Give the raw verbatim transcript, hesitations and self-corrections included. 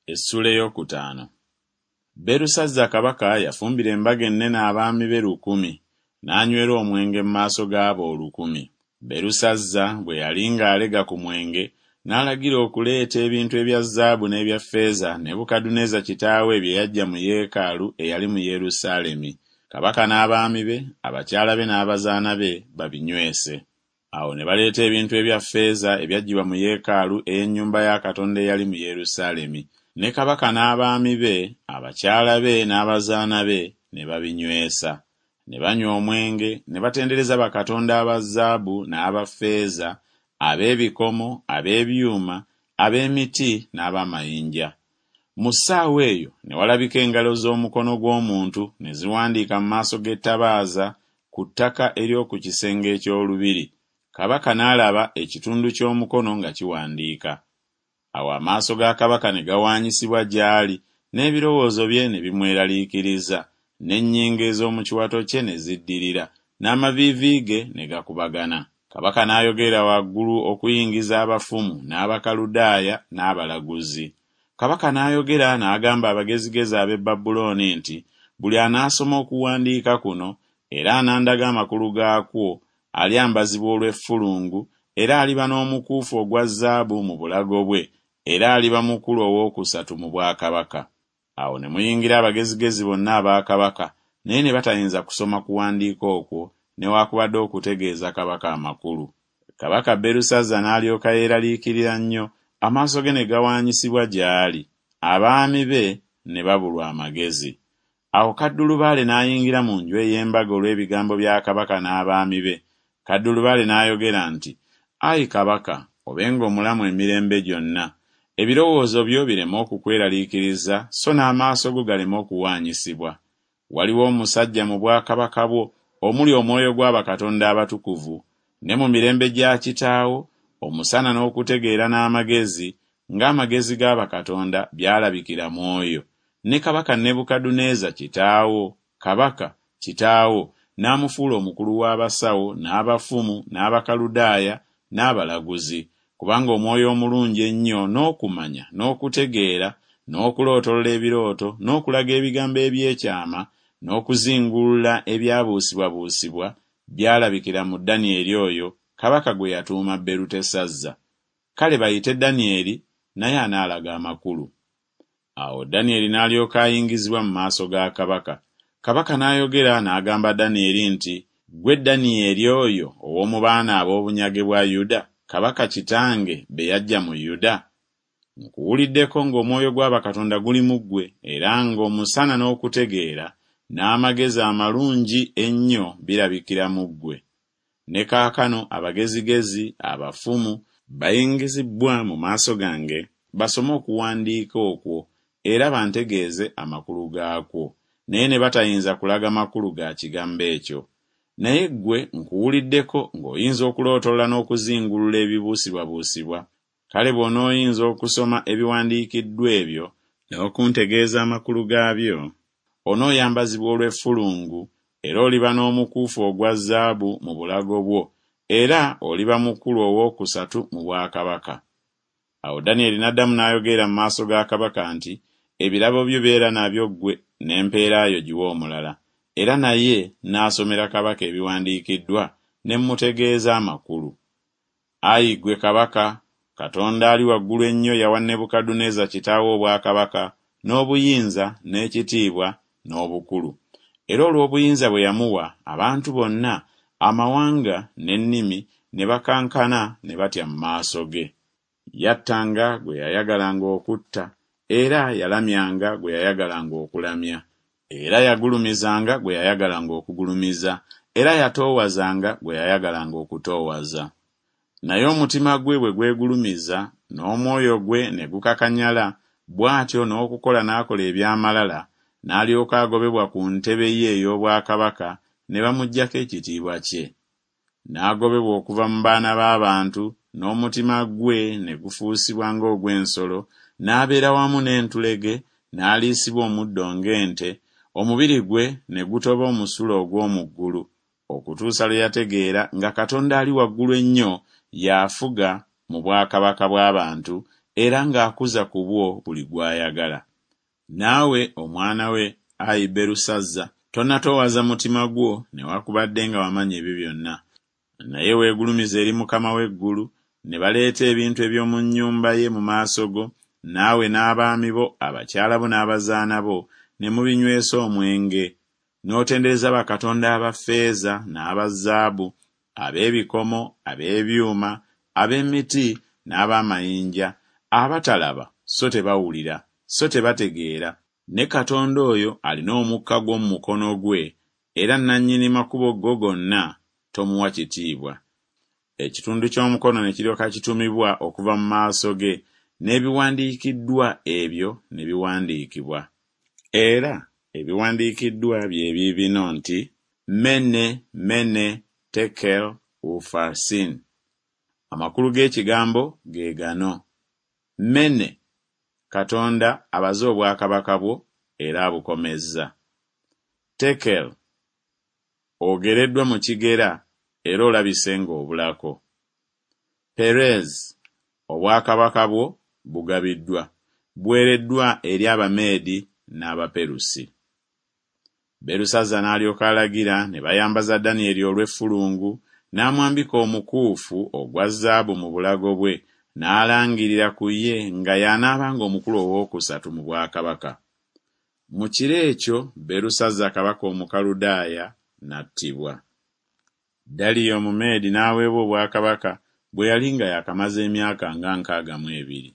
Essuula ey'okutaano. Berusazza kabaka yafumbira embaga ennene abaami be lukumi, n'anywera omwenge mu maaso g'abo olukumi. Berusazza bwe yali ng'alega ku mwenge, n'alagira okuleeta ebintu ebya zaabu n'ebya ffeeza Nebukadduneeza kitaawe bye yaggya mu yeekaalu eyali mu Yerusaalemi, kabaka n'abaami be, abakyala be n'abazaana be babinywese. Awo ne baleeta ebintu ebya ffeeza ebyaggibwa mu yeekaalu ey'ennyumba ya Katonda eyali mu Yerusaalemi, ne kabaka n'abaami be, abakyala be n'abazaana be ne babinywesa. Ne banywa omwenge ne batendereza bakatonda aba zaabu n'aba ffeeza, ab'ebikomo, ab'ebyuma, ab'emiti n'ab'amayinja. Mu ssaawa eyo ne walabika engalo z'omukono gw'omuntu ne ziwandiika mu maaso g'ettabaaza ku ttaka ery'oku kisenge eky'olubiri. Kabaka n'alaba ekitundu ky'omukono nga kiwandiika. Awo amaaso ga kabaka ne gawaanyisibwa gy'ali, n'ebirowoozo bye ne bimweraliikiriza, n'ennyingo ez'omu kiwato kye ne ziddirira, n'amaviivi ge ne gakubagana. Kabaka n'ayogera waggulu okuyingiza abafumu n'Abakaludaaya n'abalaguzi. Kabaka n'ayogera n'agamba abagezigezi ab'e Babulooni nti, Buli anaasoma okuwandiika kuno, era anandaga amakulu gaakwo, alyambazibwa olw'effulungu, era aliba n'omukuufu ogwa zaabu mu bulago bwe, era aliba mukulu owookusatu mu bwakabaka. Awo ne muyingira abagezigezi bonna aba kabaka, naye ne batayinza kusoma kuwandiika okwo, newaakubadde okutegeeza kabaka amakulu. Kabaka Berusazza n'alyoka yeeraliikirira nnyo, amaaso ge ne gawaanyisibwa gy'ali, abaami be ne babulwa amagezi. Awo kaddulubaale n'ayingira mu nju ey'embaga olw'ebigambo bya kabaka n'abaami be. Kaddulubaale n'ayogera nti, Ayi kabaka, obenga omulamu emirembe gyonna. Ebirowoozo byo bireme okukweraliikiriza, so n'amaaso go galeme okuwaanyisibwa. Waliwo omusajja mu bwakabaka bwo omuli omwoyo gwa bakatonda abatukuvu, ne mu mirembe gya kitaawo, omusana n'okutegeera n'amagezi, ng'amagezi ga bakatonda byalabikira mu oyo, ne kabaka Nebukadduneeza kitaawo, kabaka, kitaawo, n'amufuula omukulu w'abasawo, n'abafumu, n'Abakaludaaya, n'abalaguzi, kubanga omwoyo omulungi ennyo n'okumanya n'okutegeera n'okulootolola ebirooto n'okulaga ebigambo eby'ekyama n'okuzingulula ebyabuusibwabuusibwa byalabikira mu Danyeri oyo kabaka gwe yatuuma Berutesazza. Kale bayite Danyeri, naye anaalaga amakulu. Awo Danyeri n'alyoka ayingizibwa mu maaso ga kabaka. Kabaka n'ayogera n'agamba Danyeri nti, Ggwe Danyeri oyo ow'omu baana ab'obunyage bwa Yuda, kabaka kitange be yaggya mu Yuda? Nkuwuliddeko ng'omwoyo gwa bakatonda guli mu ggwe, era ng'omusana n'okutegeera n'amagezi amalungi ennyo birabikira mu ggwe. Ne kaakano abagezigezi, abafumu, bayingizibbwa mu maaso gange basome okuwandiika okwo era bantegeeze amakulu gaakwo, naye ne batayinza kulaga makulu ga kigambo ekyo. Naye ggwe nkuwuliddeko ng'oyinza okulootolola n'okuzingulula ebibuusibwabuusibwa, kale bw'onooyinza okusoma ebiwandiikiddwa ebyo n'okuntegeeza amakulu gaabyo, onooyambazibwa olw'effulungu, era oliba n'omukuufu ogwa zaabu mu bulago bwo, era oliba mukulu owookusatu mu bwakabaka. Awo Danyeri n'addamu n'ayogera mu maaso ga kabaka nti, Ebirabo byo beera nabyo ggwe, n'empeera yo giwe omulala. Era naye nnaasomera kabaka ebiwandiikiddwa, ne mmutegeeza amakulu. Ayi ggwe kabaka, Katonda Ali Waggulu Ennyo yawa Nebukadduneeza kitaawo obwakabaka, n'obuyinza, n'ekitiibwa, n'obukulu. Era olw'obuyinza bwe yamuwa, abantu bonna, amawanga, n'ennimi ne bakankana ne batya mu maaso ge. Yattanga gwe yayagalanga okutta, era yalamyanga gwe yayagalanga okulamya. Era yagulumizanga gwe yayagalanga okugulumiza, era yatoowazanga gwe yayagalanga okutoowaza. Naye omutima gwe bwe gwegulumiza, n'omwoyo gwe ne gukakanyala, bw'atyo n'okukola n'akola eby'amalala, n'alyoka agobebwa ku ntebe ye ey'obwakabaka, ne bamuggyako ekitiibwa kye. N'agobebwa okuva mu baana b'abantu, n'omutima gwe ne gufuusibwa ng'ogw'ensolo, n'abeera wamu n'entulege, n'aliisibwa omuddo ng'ente, omubiri gwe ne gutoba omusulo ogw'omu ggulu, okutuusa lwe yategeera nga Katonda Ali Waggulu Ennyo y'afuga mu bwakabaka bw'abantu, era ng'akuza ku bwo buli gw'ayagala. Naawe, omwana we, ayi Berusazza, tonnatoowaza mutima gwo newakubadde nga wamanya ebyo byonna. Naye weegulumiza eri Mukama w'eggulu, ne baleeta ebintu eby'omu nnyumba ye mu maaso go, naawe n'abaami bo, abakyala bo n'abazaana bo, ne mubinywesa omwenge. N'otendereza bakatonda aba ffeeza n'aba zaabu, ab'ebikomo, ab'ebyuma, ab'emiti n'ab'amayinja, abatalaba so tebawulira, so tebategeera, ne Katonda oyo alina omukka gwo mu mukono gwe, era nnannyini makubo go gonna, tomuwa kitiibwa. Ekitundu ky'omukono ne kiryoka kitumibwa okuva mu maaso ge, n'ebiwandiikiddwa ebyo ne biwandiikibwa. Era ebiwandiikiddwa bye biibino nti Mene, Mene, Tekel, Ufarsin. Amakulu g'ekigambo ge gano: Mene, Katonda abaze obwakabaka bwo era abukomezza. Tekel, ogereddwa mu kigera era olabise ng'obulako. Perez, obwakabaka bwo bugabiddwa, buweereddwa eri Abameedi n'Abaperusi. Berusazza n'alyoka alagira ne bayambaza Danyeri olw'effulungu, n'amwambika omukuufu ogwa zaabu mu bulago bwe, n'alangirira ku ye nga y'anaabanga omukulu owookusatu mu bwakabaka. Mu kiro ekyo Berusazza kabaka Omukaludaaya n'attibwa. Daliyo Omumeedi n'aweebwa obwakabaka bwe yali nga yaakamaze emyaka nga nkaaga mu ebiri.